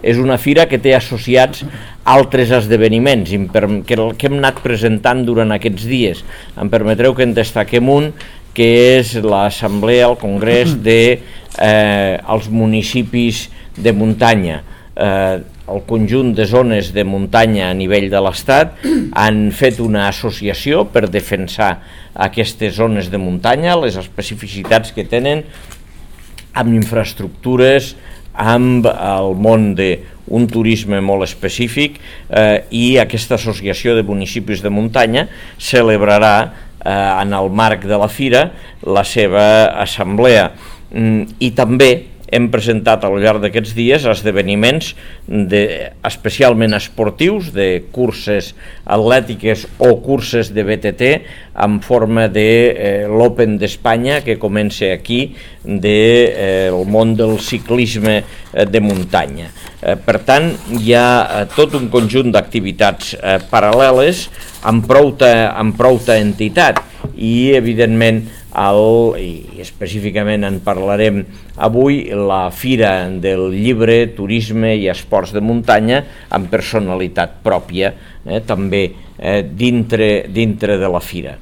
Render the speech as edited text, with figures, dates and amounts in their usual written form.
és una fira que té associats altres esdeveniments que hem anat presentant durant aquests dies. Em permetreu que en destaquem un, que és l'assemblea, el congrés dels municipis de muntanya. El conjunt de zones de muntanya a nivell de l'Estat han fet una associació per defensar aquestes zones de muntanya, les especificitats que tenen amb infraestructures, amb el món d'un turisme molt específic, i aquesta associació de municipis de muntanya celebrarà en el marc de la fira la seva assemblea. I també hem presentat al llarg d'aquests dies esdeveniments especialment esportius, de curses atlètiques o curses de BTT en forma de l'Open d'Espanya, que comença aquí, del món del ciclisme de muntanya. Per tant, hi ha tot un conjunt d'activitats paral·leles amb prouta entitat i, evidentment, i específicament en parlarem avui, la Fira del Llibre, Turisme i Esports de Muntanya amb personalitat pròpia, també dintre de la fira.